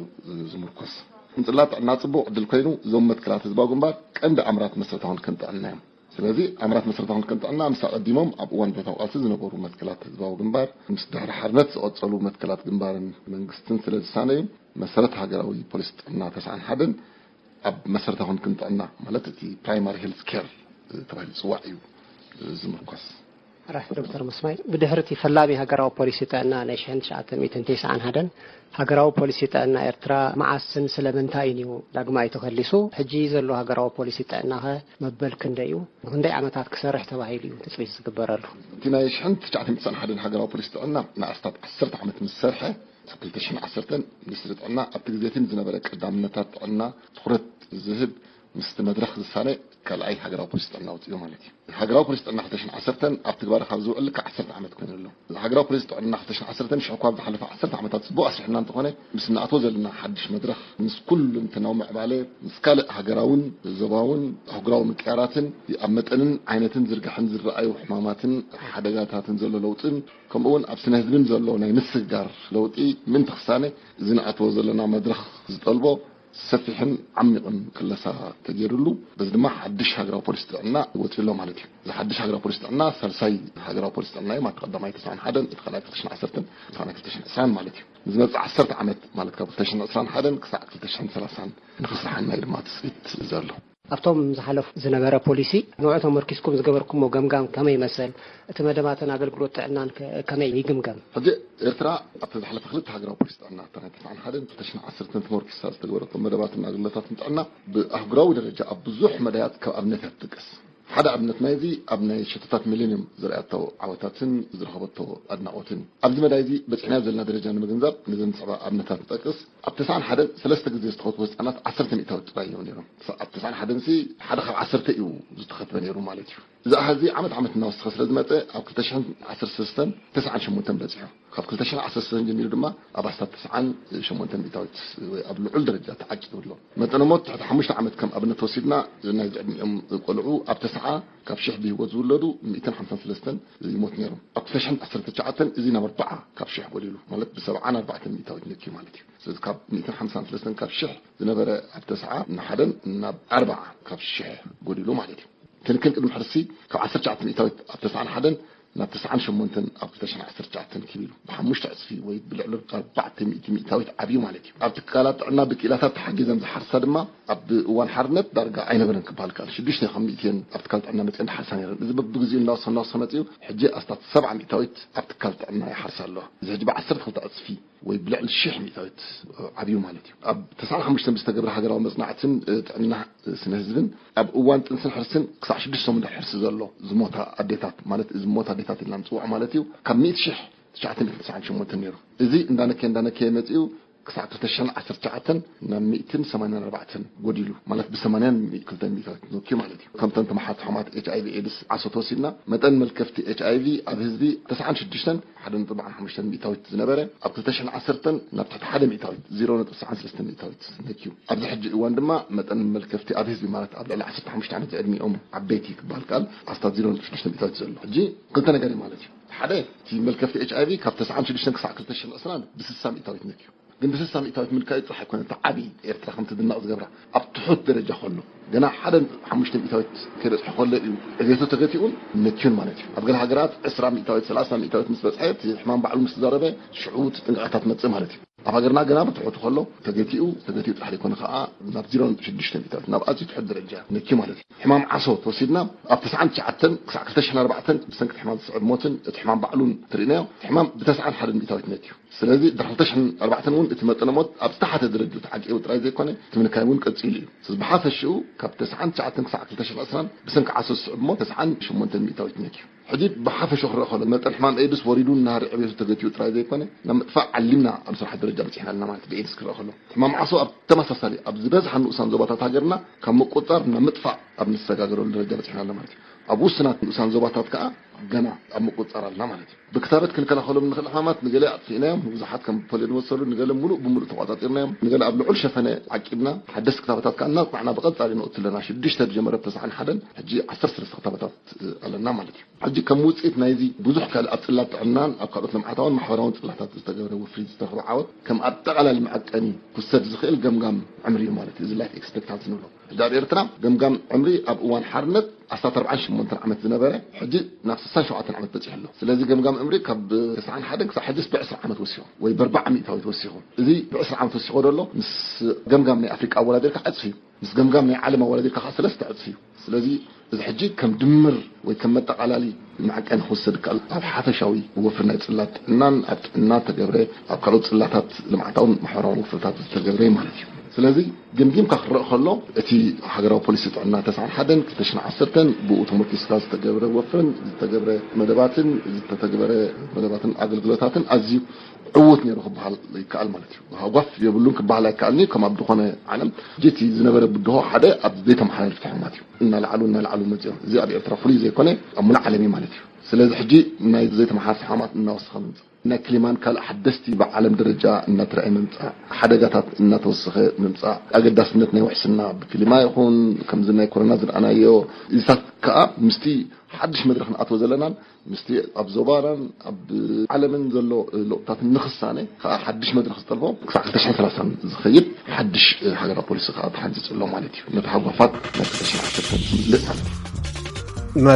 ዝምርኮስ። ምጽላል ጥዕና ጽቡቕ ዕድል ኮይኑ እዞም መትከላት ህዝባዊ ግንባር ቀንዲ ኣምራት መሰረታዊ ክንክን ጥዕና እዮም። ስለዚ ኣምራት መሰረታዊ ክንክን ጥዕና ምስ ኣቐዲሞም ኣብ እዋን ብረታዊ ቃልሲ ዝነበሩ መትከላት ህዝባዊ ግንባር ምስ ድሕሪ ሓርነት ዝቐጸሉ መትከላት ግንባርን መንግስትን ስለ ዝሳነዩ መሰረት ሃገራዊ ፖሊሲ ጥዕና ተስዓን ሓደን ኣብ መሰረታዊ ክንክን ጥዕና ማለት እቲ ፕራይማሪ ሄልት ኬር ተባሂሉ ዝፅዋዕ እዩ ዝምርኮስ። ራሕ ዶክተር ምስማይ ብድሕሪ እቲ ፈላሚ ሃገራዊ ፖሊሲ ጥዕና ናይ ሽሕን ትሽዓተ ሚእትን ተስዓን ሓደን ሃገራዊ ፖሊሲ ጥዕና ኤርትራ መዓስን ስለምንታይን እዩ ዳግማይ ተኸሊሱ? ሕጂ ዘሎ ሃገራዊ ፖሊሲ ጥዕናኸ መበል ክንደይ እዩ? ንክንደይ ዓመታት ክሰርሕ ተባሂሉ እዩ ትፅቢት ዝግበረሉ? እቲ ናይ ሽሕን ትሽዓተ ሚእትን ተስዓን ሓደን ሃገራዊ ፖሊሲ ጥዕና ንኣስታት ዓሰርተ ዓመት ምስ ሰርሐ ኣብ ክልተ ሽሕን ዓሰርተን ሚኒስትሪ ጥዕና ኣብቲ ግዜ እቲ ንዝነበረ ቀዳምነታት ጥዕና ትኹረት ዝህብ ምስቲ መድረኽ ዝሳነ ካልኣይ ሃገራዊ ፖሊሲ ጥዕና ኣውፂኡ ማለት እዩ። ሃገራዊ ፖሊሲ ጥዕና ክልተ ሽሕን ዓሰርተን ኣብ ትግባረ ካብ ዝውዕል ልክዕ ዓሰርተ ዓመት ኮይኑ ኣሎ። ሃገራዊ ፖሊሲ ጥዕና ክልተ ሽሕን ዓሰርተን ሽዑ እኳ ኣብ ዝሓለፈ ዓሰርተ ዓመታት ፅቡቕ ኣስሪሕና እንተኾነ፣ ምስ ንኣትዎ ዘለና ሓድሽ መድረኽ፣ ምስ ኩሉ እንትናዊ ምዕባለ፣ ምስ ካልእ ሃገራውን ዞባውን ኣህጉራዊ ምቅያራትን ኣብ መጠንን ዓይነትን ዝርግሐን ዝረኣዩ ሕማማትን ሓደጋታትን ዘሎ ለውጥን ከምኡ እውን ኣብ ስነ ህዝብን ዘሎ ናይ ምስግጋር ለውጢ ምእንቲ ክሳነ፣ እዚ ንኣትዎ ዘለና መድረኽ ዝጠልቦ ሰፊሕን ዓሚቕን ክለሳ ተገይሩሉ፣ በዚ ድማ ሓድሽ ሃገራዊ ፖሊሲ ጥዕና ወፂኡ ኣሎ ማለት እዩ። እዚ ሓድሽ ሃገራዊ ፖሊሲ ጥዕና ሳልሳይ ሃገራዊ ፖሊሲ ጥዕና እዩ። ማለት ቀዳማይ ተስዓን ሓደን፣ እቲ ካልኣይ ክልተ ሽሕን ዓሰርተን፣ እቲ ካልኣይ ክልተ ሽሕን ዕስራን ማለት እዩ። ንዝመፅእ ዓሰርተ ዓመት ማለት ካብ ክልተ ሽሕን ዕስራን ሓደን ክሳዕ ክልተ ሽሕን ሰላሳን ንኽስራሓና እዩ ድማ ትፅቢት ዘሎ። ኣብቶም ዝሓለፉ ዝነበረ ፖሊሲ ንዑ ተመርኪስኩም ዝገበርኩሞ ገምጋም ከመይ ይመስል? እቲ መደባትን ኣገልግሎት ጥዕናን ከ ከመይ ይግምገም? ሕጂ ኤርትራ ኣብቲ ዝሓለፈ ክልተ ሃገራዊ ፖሊሲ ጥዕና፣ እታ ናይ ተስዓን ሓደን ክልተ ሽሕን ዓሰርተን ተመርኪሳ ዝተገበረቶም መደባትን ኣገልግሎታትን ጥዕና ብኣህጉራዊ ደረጃ ኣብ ብዙሕ መዳያት ካብ ኣብነታት ትጥቀስ። ሓደ ኣብነት ናይዚ ኣብ ናይ ሸቶታት ሚሌኒየም ዘርኣያቶ ዓወታትን ዝረኸበቶ ኣድናቖትን እዩ። ኣብዚ መዳይ እዚ በፂሕናዮ ዘለና ደረጃ ንምግንዛብ ነዘን ዝስዕባ ኣብነታት ንጠቅስ። ኣብ ተስዓን ሓደን ሰለስተ ግዜ ዝተኸትቡ ህፃናት ዓሰርተ ሚእታዊት ጥራይ እዮም ነይሮም። ኣብ ተስዓን ሓደን ሲ ሓደ ካብ ዓሰርተ እዩ ዝተኸትበ ነይሩ ማለት እዩ። እዚ ኣሃዝ እዚ ዓመት ዓመት እናወሰኸ ስለ ዝመፀ ኣብ ክልተ ሽሕን ዓሰርተ ሰለስተን ተስዓን ሸሞንተን በፂሑ። ካብ ክልተ ሽሕን ዓሰርተ ሰለስተን ጀሚሩ ድማ ኣብ ኣስታት ተስዓን ሸሞንተን ሚእታዊት ወይ ኣብ ልዑል ደረጃ ተዓቂቡ ኣሎ። መጠነ ሞት ትሕቲ ሓሙሽተ ዓመት ከም ኣብነት ወሲድና፣ ናይዚ ዕድሚኦም ቆልዑ ኣብ ተስዓ ካብ ሽሕ ብህይወት ዝውለዱ ሚእትን ሓምሳን ሰለስተን ይሞት ነይሮም። ኣብ ክልተ ሽሕን ዓሰርተ ትሽዓተን እዚ ናብ ኣርብዓ ካብ ሽሕ ጎዲሉ፣ ማለት ብሰብዓን ኣርባዕተን ሚእታዊት ነክዩ ማለት እዩ። ስለዚ ካብ ሚእትን ሓምሳን ሰለስተን ካብ ሽሕ ዝነበረ ኣብ ተስዓ ንሓደን ናብ ኣርብዓ ካብ ሽሕ ጎዲሉ ማለት እዩ። ክንክን ቅድሚ ሕርሲ ካብ ዓሰርተ ትሽዓተ ሚእታዊት ኣብ ተስዓን ሓደን ናብ ተስዓን ሸሞንተን ኣብ ክልተ ሽሕን ዓሰርተ ትሽዓተን ክብ ኢሉ ብሓሙሽተ ዕፅፊ ወይ ብልዕሊ ኣርባዕተ ሚእቲ ሚእታዊት ዓብዩ ማለት እዩ። ኣብ ትካላት ጥዕና ብክኢላታት ተሓጊዘን ዝሓርሳ ድማ ኣብ እዋን ሓርነት ዳርጋ ኣይነበረን ክበሃል ይከኣል። ሽዱሽተ ካብ ሚእቲ እየን ኣብ ትካል ጥዕና መፅየን ዝሓርሳ ነይረን። እዚ በብግዚኡ እናወሰኸ እናወሰኸ መፂኡ ሕጂ ኣስታት ሰብዓ ሚእታዊት ኣብ ትካል ጥዕና ይሓርሳ ኣለዋ። እዚ ሕጂ ብዓሰርተ ክልተ ዕፅፊ ወይ ብልዕሊ ሽሕ ሚእታዊት ዓብዩ ማለት እዩ። ኣብ ተስዓን ሓሙሽተን ብዝተገብረ ሃገራዊ መፅናዕትን ጥዕና ስነ ህዝብን ኣብ እዋን ጥንስን ሕርስን ክሳዕ ሽዱሽተ ሰሙን ድሕሪ ሕርሲ ዘሎ ዝሞታ ኣዴታት፣ ማለት እዚ ዝሞታ ኣዴታት ኢልና ንፅውዖ ማለት እዩ፣ ካብ ሚእቲ ሽሕ ትሽዓተ ሚእትን ተስዓን ሸሞንተን ነይሩ። እዚ እንዳነከየ እንዳነከየ መፂኡ ክሳዕ ክልተ ሽሕን ዓሰርተ ትሽዓተን ናብ ሚእትን ሰማንያን ኣርባዕተን ጎዲሉ፣ ማለት ብሰማንያን ክልተን ሚእታዊት ነክዩ ማለት እዩ። ከምተን ተመሓዝቲ ሕማማት ኤች ኣይ ቪ ኤድስ ዓሶ ተወሲድና፣ መጠን መልከፍቲ ኤች ኣይ ቪ ኣብ ህዝቢ ተስዓን ሽዱሽተን ሓደ ነጥቢ ኣርባዓን ሓሙሽተን ሚእታዊት ዝነበረ ኣብ ክልተ ሽሕን ዓሰርተን ናብ ትሕቲ ሓደ ሚእታዊት፣ ዜሮ ነጥቢ ተስዓን ሰለስተን ሚእታዊት ነክዩ። ኣብዚ ሕጂ እዋን ድማ መጠን መልከፍቲ ኣብ ህዝቢ፣ ማለት ኣብ ልዕሊ ዓሰርተ ሓሙሽተ ዓመት ዝዕድሚኦም ዓበይቲ ክበሃል ከኣል፣ ኣስታት ዜሮ ነጥቢ ሽዱሽተ ሚእታዊት ዘሎ። ሕጂ ክልተ ነገር እዩ ማለት እዩ። ሓደ፣ እቲ መልከፍቲ ኤች ኣይ ቪ ካብ ተስዓን ሽዱሽተን ክሳዕ ክልተ ሽሕን ዕስራን ብስሳ ሚእታዊት ነክዩ። ግን ብስሳ ሚእታዊት ምልካዩ ጥራሕ ኣይኮነን እቲ ዓብዪ ኤርትራ ከም ትድነቕ ዝገብራ። ኣብ ትሑት ደረጃ ከሎ፣ ገና ሓደ ነጥቢ ሓሙሽተ ሚእታዊት ከይበፅሐ ከሎ እዩ ዕቤቱ ተገቲኡን ነክዩን ማለት እዩ። ኣብ ገለ ሃገራት ዕስራ ሚእታዊት፣ ሰላሳ ሚእታዊት ምስ በፅሐ፣ እቲ ሕማም ባዕሉ ምስ ተዛረበ፣ ሽዑ እቲ ጥንቃቐታት መፅእ ማለት እዩ። ኣብ ሃገርና ገና ብትሑቱ ከሎ ተገቲኡ፣ ተገቲኡ ጥራሕ ዘይኮነ ከዓ ናብ ዜሮ ነጥቢ ሽዱሽተ ሚእታዊት፣ ናብ ኣዝዩ ትሑት ደረጃ ነክዩ ማለት እዩ። ሕማም ዓሶ ተወሲድና፣ ኣብ ተስዓን ትሽዓተን ክሳዕ ክልተ ሽሕን ኣርባዕተን ብሰንኪ እቲ ሕማም ዝስዕብ ሞትን እቲ ሕማም ባዕሉን ትርእናዮ፣ እቲ ሕማም ብተስዓን ሓደን ሚእታዊት ነክዩ። ስለዚ ድሕሪ ክልተ ሽሕን ኣርባዕተን እውን እቲ መጠነ ሞት ኣብ ዝተሓተ ደረጃ ተዓቂቡ ጥራይ ዘይኮነ፣ እቲ ምንካይ እውን ቀጺሉ እዩ። ስለዚ ብሓፈሽኡ ካብ ተስዓን ትሽዓተን ክሳዕ ክልተ ሽሕን ዕስራን ብሰንኪ ዓሶ ዝስዕብ ሞት ተስዓን ሸሞንተን ሚእታዊት ነክዩ። ሕጂ ብሓፈሽኡ ክረአ ከሎ፣ መጠን ሕማም ኤድስ ወሪዱ እናሃረ ዕቤቱ ተገቲኡ ጥራይ ዘይኮነ፣ ናብ ምጥፋእ ዓሊምና ኣብ ስራሕ ደረጃ በጺሕና ኣለና ማለት ብኤድስ ክረአ ከሎ። ሕማም ዓሶ ኣብ ተመሳሳሊ ኣብ ዝበዝሓ ንኡሳን ዞባታት ሃገርና ካብ ምቁጽጻር ናብ ምጥፋእ ኣብ ንሰጋገረሉ ደረጃ በጺሕና ኣለና ማለት እዩ። ኣብ ውሱናት ንኡሳን ዞባታት ከኣ ገና ኣብ ምቁጽጻር ኣለና ማለት እዩ። ብክታበት ክንከላኸሎም ንኽእል ሕማማት ንገለ ኣጥፊእናዮም፣ ንብዙሓት ከም ፖልዮ ዝመሰሉ፣ ንገለ ምሉእ ብምሉእ ተቆጻጺርናዮም፣ ንገለ ኣብ ልዑል ሸፈነ ዓቂብና፣ ሓደስቲ ክታበታት ከኣ እናጽናዕና ብቐጻሊ ነእቱ ኣለና። ሽዱሽተ ዝጀመረ ተስዓን ሓደን ሕጂ ዓሰርተ ሰለስተ ክታበታት ኣለና ማለት እዩ። ሕጂ ከም ውጽኢት ናይዚ ብዙሕ ካልእ ኣብ ጽላት ጥዕናን ኣብ ካልኦት ልምዓታውን ማሕበራውን ጽላታት ዝተገብረ ወፍሪ ዝተረኽበ ዓወት ከም ኣጠቓላሊ መዐቀኒ ክውሰድ ዝኽእል ገምጋም ዕምሪ እዩ ማለት እዩ። እዚ ላይፍ ኤክስፔክታንሲ ንብሎ። ሕጂ ኣብ ኤርትራ ገምጋም ዕምሪ ኣብ እዋን ሓርነት ኣስታት ኣርባዓን ሸሞንተን ዓመት ዝነበረ፣ ሕጂ ናብ ስሳን ሸውዓተን ዓመት በጺሑ ኣሎ። ስለዚ ገምጋም ዕምሪ ካብ ተስዓን ሓደን ክሳብ ሕጂስ ብዕስራ ዓመት ወሲኹ ወይ ብኣርባዓ ሚእታዊት ወሲኹ። እዚ ብዕስራ ዓመት ወሲኹ ዘሎ ምስ ገምጋም ናይ ኣፍሪቃ ኣወዳዲርካ ዕጽፊ እዩ። ምስ ገምጋም ናይ ዓለም ኣወዳዲርካ ከዓ ሰለስተ ዕጽፊ እዩ። ስለዚ እዚ ሕጂ ከም ድምር ወይ ከም መጠቓላሊ መዐቀኒ ክውሰድ ይከኣል። ኣብ ሓፈሻዊ ወፍሪ ናይ ጽላት ጥዕናን ኣብ ጥዕና ተገብረ፣ ኣብ ካልኦት ጽላታት ልምዓታውን ማሕበራውን ወፍርታት ዝተገብረ ማለት እዩ። ስለዚ ገምጊምካ ክረእ ከሎ እቲ ሃገራዊ ፖሊሲ ጥዕና ተስዓን ሓደን ክልተ ሽሕን ዓሰርተን ብኡ ተመርኪስካ ዝተገብረ ወፍርን ዝተገብረ መደባትን ዝተተግበረ መደባትን ኣገልግሎታትን ኣዝዩ ዕዉት ነይሩ ክበሃል ይከኣል ማለት እዩ። ሃጓፍ የብሉን ክበሃል ኣይከኣልን እዩ። ከም ኣብ ዝኾነ ዓለም ጀቲ ዝነበረ ብድሆ ሓደ ኣብ ዘይተመሓላለፍቲ ሕማት እዩ። እናለዓሉ እናለዓሉ መፅኦም። እዚ ኣብ ኤርትራ ፍሉይ ዘይኮነ ኣብ ሙሉእ ዓለም እዩ ማለት እዩ። ስለዚ ሕጂ ናይ ዘይተመሓላለፍቲ ሕማት እናወሰኸ ምምፃእ፣ ናይ ክሊማን ካልእ ሓደስቲ ብዓለም ደረጃ እናተረኣየ ምምፃእ፣ ሓደጋታት እናተወሰኸ ምምፃእ፣ ኣገዳስነት ናይ ውሕስና ብክሊማ ይኹን ከምዚ ናይ ኮሮና ዝረኣናዮ እዚታት ከዓ ምስቲ ሓድሽ መድረኽ ንኣትዎ ዘለናን ምስቲ ኣብ ዞባናን ኣብ ዓለምን ዘሎ ለውጥታትን ንኽሳነ ከዓ ሓድሽ መድረኽ ዝጠልቦ ክሳዕ ክልተ ሽሕን ሰላሳን ዝኸይድ ሓድሽ ሃገራዊ ፖሊሲ ከዓ ተሓንፂፁ ኣሎ ማለት እዩ። ነቲ ሃጓፋት ናይ ክልተ ሽሕን ዓሰርተን ዝምልእ ማለት እዩ።